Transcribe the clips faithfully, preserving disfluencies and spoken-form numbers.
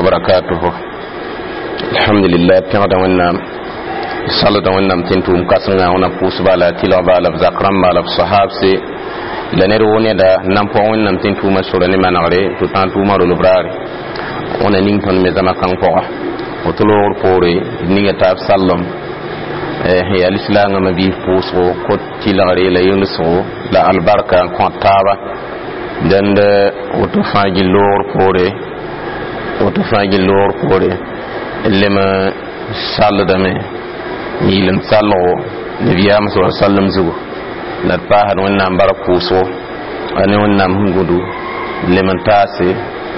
وبركاته الحمد لله pẽgda wẽnnaam salda wẽnnaam tɩ n tʋʋm kãsengã wẽna pʋʋsba la tɩlgba la b zak rãmba la b sahabse la ned woo neda n na n pɔg wẽnnaam tɩ n tʋʋma sora ne manegre tɩ tã n tʋʋma rolb raare wẽna ning tõnd me zãma kãng pʋga woto loogr poore d ninga taab sallem sẽn yaa lislaangã mabiis pʋʋsgo kot tɩlgre la yelesgo la albarka n kõt taaba dẽnd woto fãa gill loogr poore woto fãa gill loogr poore d lem salldame n yɩlem salgo nabiyaam sa sallam zugu la d paasd wẽnnaam bark pʋʋsgo a ne wẽnnaam sẽn gũdu lem n taase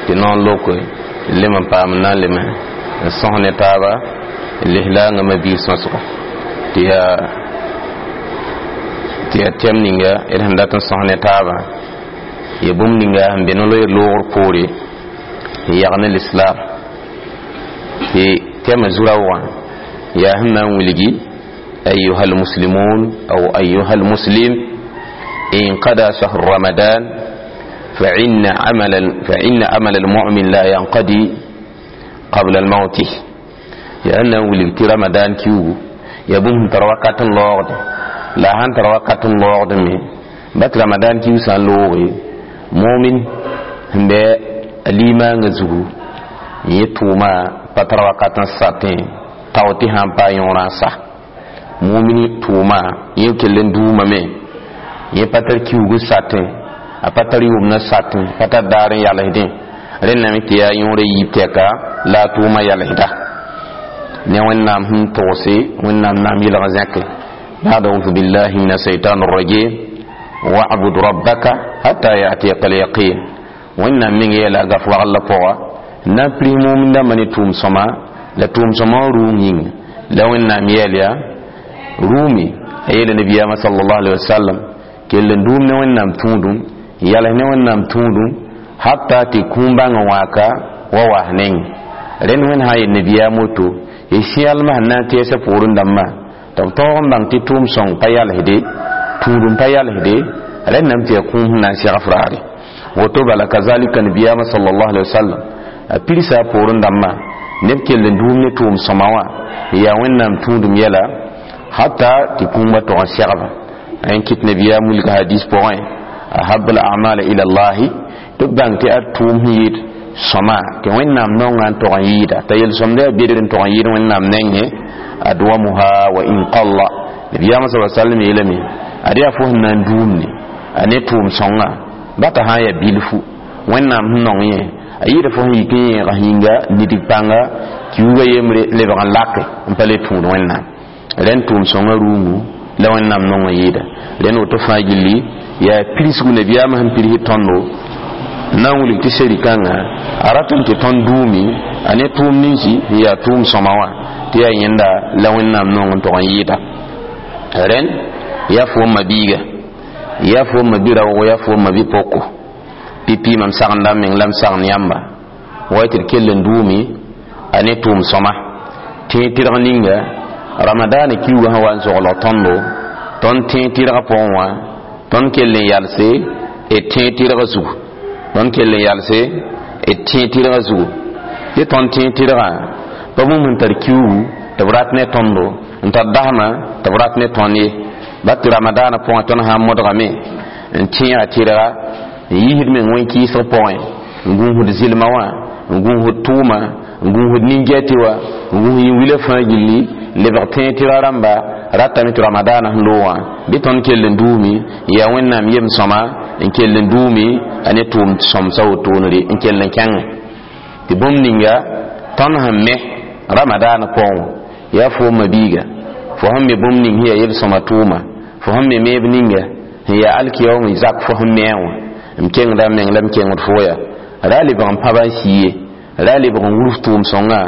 tɩ noor loke lem n paam n na n lem n sõs ne taaba n lislaangã mabiis sõsga tɩ yaa tɩ yaa tɛm ninga d sẽn dat n sõs ne taabã ya bũmb ninga sẽn be no-loeer loogr poore n yag ne lislaam tɩ tɛmã zu-raoogã yaa sẽn na n wilgi أيها المسلمون أو أيها المسلم انقضى شهر رمضان فإن عمل فإن عمل المؤمن لا ينقضي قبل الموت لأنه ولد رمضان كيو ya bũmb sẽn tar wakat n loogde la a sãn tar wakat n loogd me bat ramadan kiu sã n looge momin sẽn bɩ a limaangã zugu n yẽ tʋʋma pa tar wakat n satẽ tao tɩ sã n paa yõorã n sa mumin tʋʋma yẽ kell n duumame yẽ pa tar kiuug n satẽ a pa tar yʋʋmd n satẽ pa tar daar n yalsdẽ rẽndame tɩ yaa yõora yiib tɛka la a tʋʋma yalsda ne wẽnnaam sẽn togse wẽnnaam naam yɩlg zẽke بعد أعوذ بالله من الشيطان الرجيم واعبد ربك حتى يأتيك اليقين wẽnnaam meng yeela gaf wagl la pʋga n na n pris mumindãmbã ne tʋʋm sõma la tʋʋm sõma wã rũum yĩnga la wẽnnaam yeel yaa rũume a yeela nabiyaamã sallallahu alaihi wasallam kell n dũum ne wẽnnaam tũudum n yals ne wẽnnaam tũudum hatta tɩ kũum bãng wãaka wa was neng rẽnd wẽnd sã n yel nabiyaam woto y sẽalmã sẽn na n tɛɛsã poorẽ dãmbã tɩ b tõog n bãng tɩ tʋʋm sõng pa yalsde tũudum pa yalsde rẽndame tɩ yaa kũum sẽn na n segs raare woto bala kazalika nabiyaamã sallallahu alaihi wasallam a pirsa a poorẽ dãmbã neb kell n dũum ne tʋʋm sõma wã n yaa wẽnnaam tũudum yɛla hatta tɩ kũumã tog n segba n kɩt nabiyaam wilga hadis pʋgẽ ahabu al-a'mal ila allahi tɩ b bãng tɩ a tʋʋm sẽn yɩɩd sõma tɩ wẽnnaam nonga n tog n yɩɩda t'a yel-sõmda yaa bedr n tog n yɩɩd wẽnnaam nengẽ adwamuha wa in qalla nabiyaamã sa sallam yeelame ad yaa fo sẽn na n duumne a ne tʋʋm sõnga bata sã n yaa bilfu wẽnnaam sẽn nong yẽ a yɩɩda fo sẽn yik n yẽega yĩnga nidig pãnga kiuugã yembre lebg n lake n pa le tũud wẽnnaam rẽnd tʋʋm sõnga rũumu la wẽnnaam nong n yɩɩda rẽnd woto fãa gilli yaa pirsgu nabiyaamã sẽn pirs tõndo na n wilg tɩ seri-kãngã a ratame tɩ tõnd duumi a ne tʋʋm ninsi n yaa tʋʋm sõma wã tɩ yaa yẽnda la wẽnnaam nong n tog n yɩɩda rẽnd yaa fo n mabiiga yaa fo n mabi raoogo yaa fo n mabi poko pipi mam sagenda m meng la m sagend yãmba wa tɩ d kell n duumi a ne tʋʋm sõma tẽeg tɩrg ninga ramadaana kiuugã sẽn wa n soglg tõndo tõnd tẽeg tɩrgã pʋgẽ wã tõnd kell n yalse d tẽeg tɩrgã zugu tõnd kell n yalse d tẽeg tɩrgã zugu tɩ tõnd tẽeg tɩrgã pa bũmb sẽn tar kiuugu tɩ b rat ne tõndo n tar dasma tɩ b rat ne tõnd ye ba tɩ ramadaana pʋgẽ tõnd sã n modgame n tẽega tɩrga n yiisd meng wẽn-kɩɩsg pʋgẽ n gũusd zɩlma wã n gũusd tʋʋma n gũusd nin-gɛtɩ wã n gũus yĩn-wilã fãa gilli lebg tẽeg tɩrga rãmba ratame tɩ ramadaana sẽn loogã bɩ tõnd kell n duumi n yaa wẽnnaam yem sõma n kell n duumi a ne tʋʋm sõmsa wotoonre n kell n kẽngẽ tɩ bũmb ninga tõnd sẽn me ramadaana pʋgẽ wã yaa fo mabiiga fo sẽn me bũmb ning sẽn yaa yel-sõma tʋʋma fo sẽn me meeb ninga sẽn yaa alkiyaoom zak fo sẽn me wã m kengda m meng la m kengd fo yaa ra lebg n pãba n sii ye ra lebg n wurf tʋʋm sõngã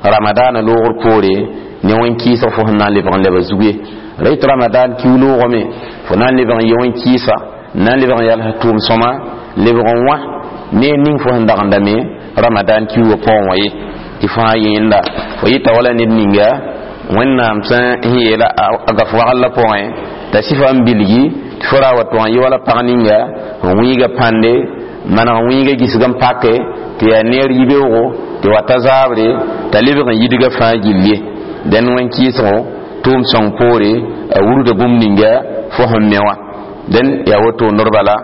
ramadaana loogr poore ne wẽn-kɩɩsg fo sẽn na n lebg n leba zug ye ra yetɩ ramadan kiu loogame fo na n lebg n yɩ wẽn-kɩɩsa n na n lebg n yals tʋʋm sõma lebg n wã ne ning fo sẽn dagendame ramadan kiugã pʋgẽ wã ye tɩ fãa yẽnda fo yɩta wala ned ninga wẽnnaam sẽn yeela a gaf wagl la pʋgẽ t'a sɩfa n bilgi tɩ fo ra wa tʋg n yɩ wala pag ninga n wĩiga pãnde maneg wĩiga gisg n pake tɩ yaa neer yibeoogo Tɩ wata zaabre t'a lebg n yidga fãa gill ye. Dẽn wẽn-kɩɩsgo tʋʋm sõng poore a wurda bũmb ninga fo sẽn me wã. Dẽn yaa woto ned bala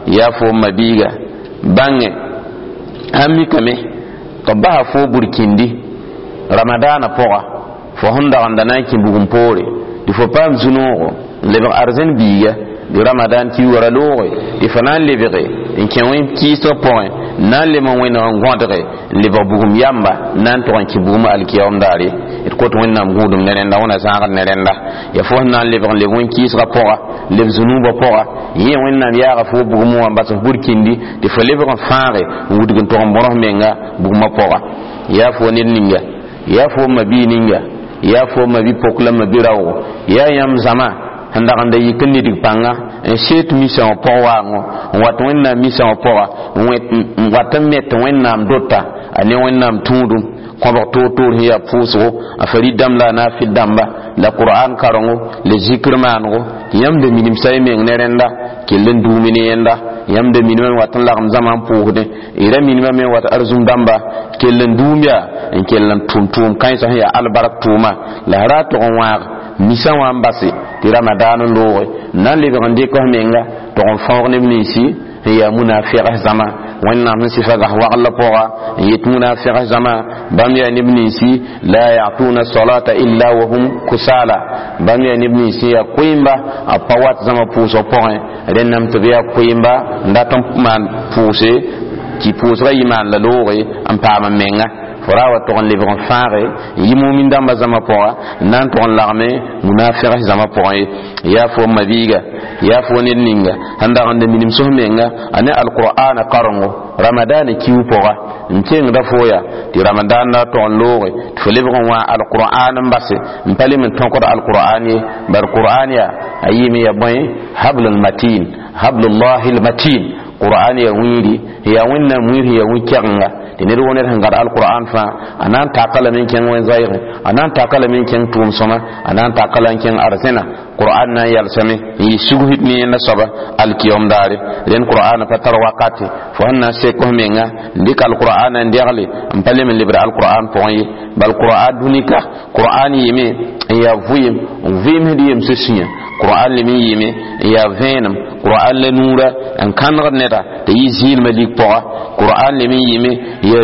yaa fo n ma-biiga bãnge sãn mikame tɩ b basa fo burkĩndi ramadaana pʋga fo sẽn dagenda na n kẽ bugum poore tɩ fo paam zu-noogo n lebg arzẽn biiga di ramadan kiuga ra looge tɩ fo na n lebge n kẽ wẽn-kɩɩsg pʋgẽ n na n lem n wẽneg n gõdge n lebg bugum yamba n na n tʋg n kẽ bugum alkiyaoom daare. D kot Wẽnnaam gũudum ne rẽnda wẽna zãagd ne rẽnda ya fo sẽn na n lebg n leb wẽn-kɩɩsgã pʋga leb zũnuubã pʋga yẽ Wẽnnaam yaaga fo bugum wã n bas f burkĩndi tɩ fo lebg n fãage n wudg n tʋg n bõnes menga bugumã pʋga. Yaa fo ned ninga, yaa fo ma-bii ninga, yaa fo ma-bi-pok la ma-bi-raoogo, yaa yãmb zãma sẽn dag n da yik n nidg pãnga n seet misã wã pʋg waango n wat Wẽnnaam misã wã pʋga n wat n met Wẽnnaam dota a ne Wẽnnaam tũudum kõbg toor-toor sẽn yaa pʋʋsgo a farid dãmb la a naafɩl dãmba la Qur'an karengo la zikr maanego tɩ yãmb da minimsa y meng ne rẽnda kell n duumi ne yẽnda. Yãmb da minimame n wat n lagem zãma n pʋʋsdẽ y ra minimame n wat arzũm dãmba kell n duum yaa n kell n tʋm tʋʋm kãensã sẽn yaa albark tʋʋma la ra tʋg n wãag misã wã n base tɩ ramadaan n looge n na n lebg n dɩk f menga tʋg n fãoog neb ninsi n yaa munafigs zãma. Wẽnnaam sẽn sɩfa gas wagl pʋga n yet munafigs zãma bãmb yaa neb ninsi la yatuna salata illa wa hum kusala, bãmb yaa neb ninsi yaa koeemba a pa wat zãma pʋʋsg pʋgẽ rẽnname tɩ b yaa koeemba n dat n maan pʋʋse tɩ pʋʋsgã yɩ maan la looge n paam n menga. Fo ra wa tʋg n lebg n fãage n yɩ mumin dãmbã zãma pʋga n na n tʋg n lagme munafigs zãma pʋgẽ ye. Yaa fo n ma-biiga, yaa fo ned ninga sẽn dag n da minim sos menga a ne alqur'ana karengo ramadaana kiu pʋga n kengda fo yaa tɩ ramadan na tʋg n looge tɩ fo lebg n wã alqur'an n base n pa lem n tõkd alqur'an ye. Bar qur'an yaa a yɩɩme ya bõe hablul matin, hablullahi lmatin. Qur'an ya wĩiri yaa Wẽnnaam wĩir yaa wĩ-kɛgenga tɩ ned wo ned sẽn gãd alqur'an fãa a na n taka lame n kẽng wẽn-zaɩgẽ, a na n taka lame n kẽng tʋʋm-sõma, a na n taka la n kẽng arzẽna. Qur'an na n yalsame n yɩ sugsd ne yẽnda soaba alkiyom daare. Rẽnd qur'an pa tar wakate fo sẽn na n sek f menga n dɩk alqur'an n degle n pa lem n lebd alqur'an pʋgẽ ye. Bal qur'an dũnika qur'an yɩme n yaa vɩɩm n vɩɩmsd yemsã sũyã. Qur'an lem n yɩme n yaa vẽenem, qur'an la nuura n kãnegd neda tɩ yɩ zɩɩlmã lig pʋga. Qur'an lem n yɩme yaa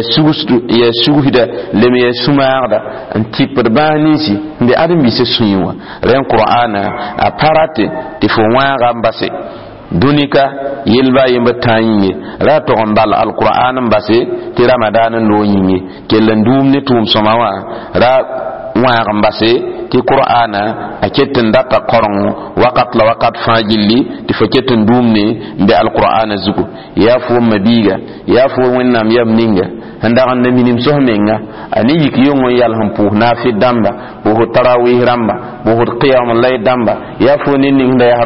yaa sugsda lem yaa sũ-maagda n tɩpd bãas ninsi n be ãdem-biisã sũyẽ wã. Rẽn qur'ana a pa rate tɩ fo wãaga n base dũnika yelba a yembr tã yĩnge ra tʋg n bal alqur'an n base tɩ ramadan n loog yĩnge kell n duum ne tʋʋm-sõma wã ra wãag n base tɩ qur'ana a ket n data korengo wakat la wakat fãa gilli tɩ fo ket n duum ne n be alqur'ana zugu. Yaa fo n ma-biiga, yaa fo Wẽnnaam yam ninga sẽn dag n da minim sos menga a ne yik yong n yals n pʋʋs naafɩd dãmba, pʋʋsd tarawih rãmba, pʋʋsd qiyam lay dãmba. Yaa fo ned ning sẽn da yaa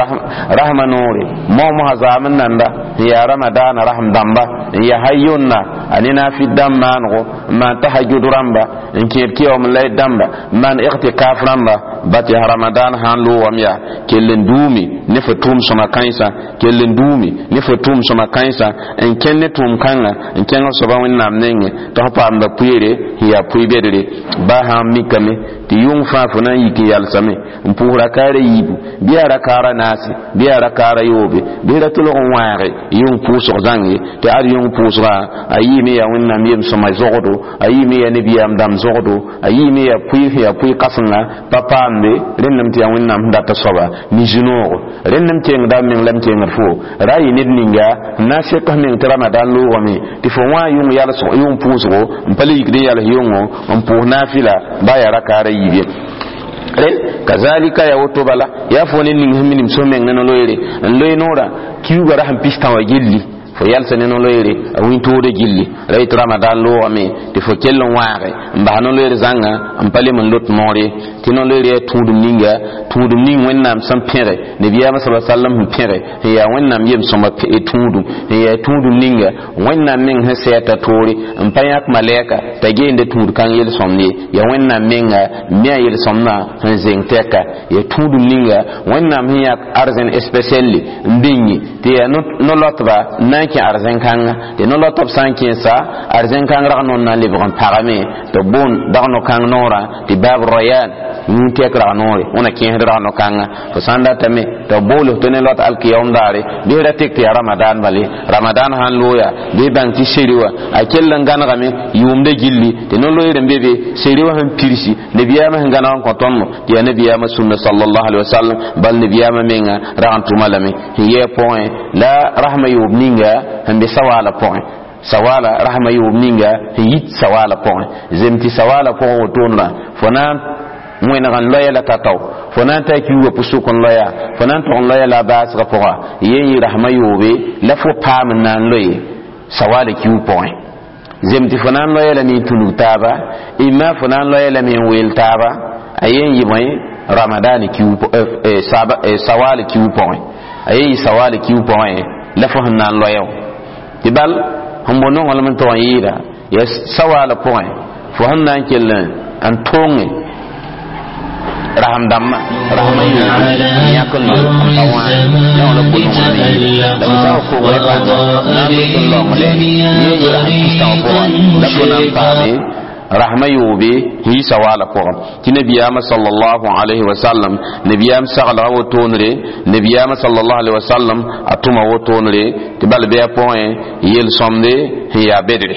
rasma noore moog-mosã zaam n nanda n yaa ramadaana rasm dãmba n yaa ha yonna a ne naafɩd dãmb maanego n maan tahajud rãmba n kẽed qiyam lay dãmba n maan ightikaf rãmba ba tɩ yaa ramadan sã n loogame yaa kell n duume ne fo tʋʋm-sõma kãensã, kell n duume ne fo tʋʋm-sõma kãensã n kẽn ne tʋʋm kãnga n kẽng soaba Wẽnnaam nengẽ tɩ f paamda pʋɩɩre sẽn yaa pʋɩ-bedre. Ba sã n mikame tɩ yʋng fãa fo na n yik n yalsame n pʋʋs rakaara yiibu bɩ yaa rakaara naase bɩ yaa rakaara yoobe bɩ ra tʋlg n wãage yʋng pʋʋsg zãnge tɩ ad yʋng pʋʋsgã a yɩɩme yaa Wẽnnaam yem-sõma zogdo, a yɩɩme yaa nebiyaam dãmb zogdo, a yɩɩme yaa pʋɩ sẽn yaa pʋɩ-kãsenga pa paamde rẽndame tɩ yaa Wẽnnaam sẽn data soaba ne zu-noogo. Rẽndame kengda m meng la m kengd fo ra yɩ ned ninga n na n sek f meng tɩ ramadan loogame tɩ fo wã yʋng yalsg yʋng pʋʋsgo n pa le yikd n yals yʋngo n pʋʋs naafɩla ba yaa rakaara yiib ye. Rẽn kazalika ya woto bala yaa fo ne ning sẽn minim so meng ne no-loeere n loe noorã kiuugã ra sẽn pistã wã gilli fo yalsa ne no-loeere a wĩntoodã gilli ra yetɩ ramadan loogame tɩ fo kell n wãage n bas no-loeer zãnga n pa lem n lot moore. Tɩ no-loeer yaa tũudum ninga, tũudum ning Wẽnnaam sẽn pẽge nabiyaamã sala sallam sẽn pẽge sẽn yaa Wẽnnaam yem-sõma tũudum, sẽn yaa tũudum ninga Wẽnnaam meng sẽn sɛ t'a toore n pa yãk malɛka t'a geende tũud kãng yel-sõmd ye. Yaa Wẽnnaam menga me a yel-sõmdã sẽn zeng tɛka. Yaa tũudum ninga Wẽnnaam sẽn yãk arzẽn spesiɛlle n bĩngi tɩ yaa no-lɔtba n na n kẽ arzẽn-kãnga, tɩ no-lɔtb sã n kẽesa arzẽn-kãng rag noor na n lebg n pagame tɩ b boond dag no-kãng noorã tɩ baab royan yũu tɛk rag noore wẽna kẽesd rag no-kãnga. Fo sã n datame tɩ b bool tɩ ne lot alkiyaoom daare bɩ ra tek tɩ yaa ramadan bale. Ramadan sãn looya bɩ bãng tɩ seri wã a kell n gãnegame yʋʋmda gilli tɩ no-loeer n be be seri wã sẽn pirsi nabiyaamã sẽn gãneg n kõ tõndo tɩ yaa nabiyaamã sũnna sallallahu alaihi wasallam. Bal nabiyaamã menga rag n tʋma lame sẽn yɛɛ pʋgẽ la rasmã yoob ninga sẽn be sawaala pʋgẽ, sawala rahma yoob ninga sẽn yit sawala pʋgẽ zem tɩ sawala pʋgẽ wotondrã fo na n wẽneg n loya la tatao, fo na n taa kiuugã pʋsʋk n loya, fo na n tog n loya la a baasgã pʋga yen yɩ rasmã yoobe la fo paam n na n loe sawala kiug pʋgẽ zem tɩ fo na n loya lame n tũnug taaba imma fo na n loya lame n weel taaba a yen yɩ bõe ramadan kiug sawala kiug pʋgẽ a yen yɩ sawala kiug pʋgẽ la fo sẽn na n loya tɩ bal sẽn bo nonglem n tog n yɩɩda yaa sawala pʋgẽ fo sẽn na n kell n tõnge raham dãmbã rahmã yoobe yãk n loe n pa wã la wã la bo nonglem yɩɩda la b zao kogrã pãnga na n loet n laongle yẽ yɩ rasam pistã wã pʋgã la fo na n paame rahma yoobe sẽn yɩ sawala pʋgẽ tɩ nabiyaamã sallallahu alayhi wa sallam nabiyaam saglga wotoonre nabiyaamã sallallahu alayhi wa sallam a tʋma wotoonre tɩ bal bɩ a pʋgẽ yel-sõmde sẽn yaa bedre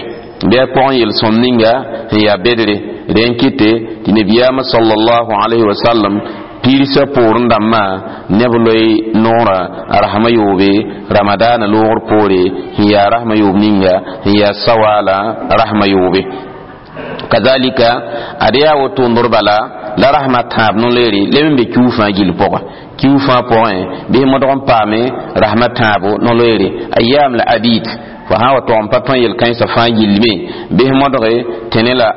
bɩ a pʋgẽ yel-sõmd ninga sẽn yaa bedre rẽ n kɩte tɩ nabiyaamã sallallahu alayhi wa sallam pirsã poorẽ dãmbã neb loe noorã rasmã yoobe ramadaana loogr poore sẽn yaa rasmã yoob ninga sẽn yaa sawala rasmã yoobe. Kazalika ad yaa wotondr bala la rasmã tãab no-loeere leb n be kiu fãa gill pʋgẽ kiu fãa pʋgẽ bɩ modg n paame rasmã tãabo no-loeere ayam la abid fo sã wa tog n pa tõe yel-kãensã fãa gillme bɩ modge tẽne la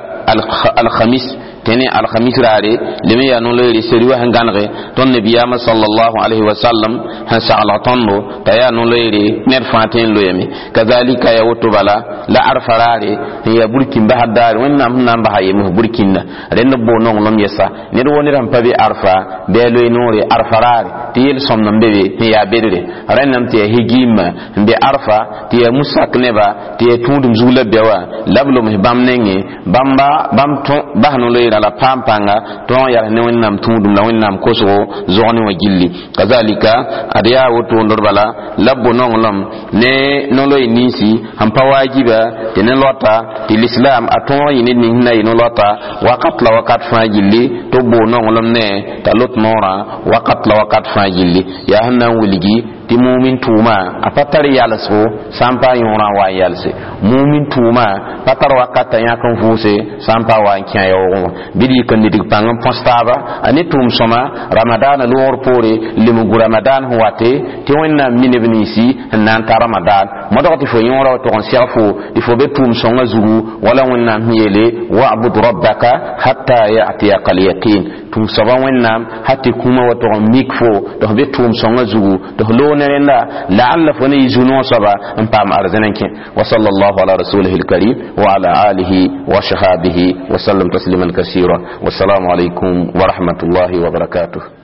alhamis tẽne alhamis raare lem yaa no-loeere seri wa sẽn gãnege tõnd nabiyaamã sallallahu alayhi wa sallam sẽn saglg tõndo t'a yaa no-loeere ned fãa tõe n loeeme. Kazalika yaa woto bala la arfa raare sẽn yaa burkin basd daare Wẽnnaam sẽn na n basa yems burkinda rẽnd b boo nonglem yɛsa ned wo ned sẽn pa be arfa bɩ a loe noore arfa raare tɩ yel-sõmd n be be sẽn yaa bedre rẽndame tɩ yaa higimã n be arfa tɩ yaa musak neba tɩ yaa tũudum zug la bɛ wã la b loms bãmb nengẽ bãmba bãmb bas no-loeerã la paam pãnga tõog n yals ne Wẽnnaam tũudum la Wẽnnaam kosgo zog ne wã gilli. Kazalika ad yaa wotondr bala la b bo nonglem ne no-loe ninsi sẽn pa waajiba tɩ ne loata tɩ lislaam a tõog yɩ ned ning sẽn na yɩ no-loata wakat la wakat fãa gilli tɩ b boo nonglem ne t'a lot noorã wakat la wakat fãa gilli yaa sẽn na n wilgi tɩ mumin tʋʋma a pa tar yalsgo sã n pa yõorã wa n yalse mumin tʋʋma pa tar wakat t'a yãk n vʋʋse sã n pa wa n kẽ a yaoogẽ wã bɩ d yik n nidg pãng n põs taaba a ne tʋʋm sõma ramadaana loogr poore lem gu ramadan sẽn wate tɩ Wẽnnaam mi neb ninsi n na n ta ramadan modg tɩ fo yõora wa tog n seg fo tɩ fo be tʋʋm sõngã zugu wala Wẽnnaam sẽn yeele wa'bud rabbaka hatta ya'tiyaka al-yaqin tʋʋm soaba Wẽnnaam ha tɩ kũumã wa tog n mik fo tɩ f be tʋʋm sõngã zugu tɩ f loog ne rẽnda la'alla fo ne yɩ zu-noog soaba n paam arzẽn n kẽ. Wa sallallahu ala rasulihi alkarim wa ala alihi wa sahabihi wa sallam tasliman kasira. Wassalamu alaikum wa rahmatullahi wa barakatuh.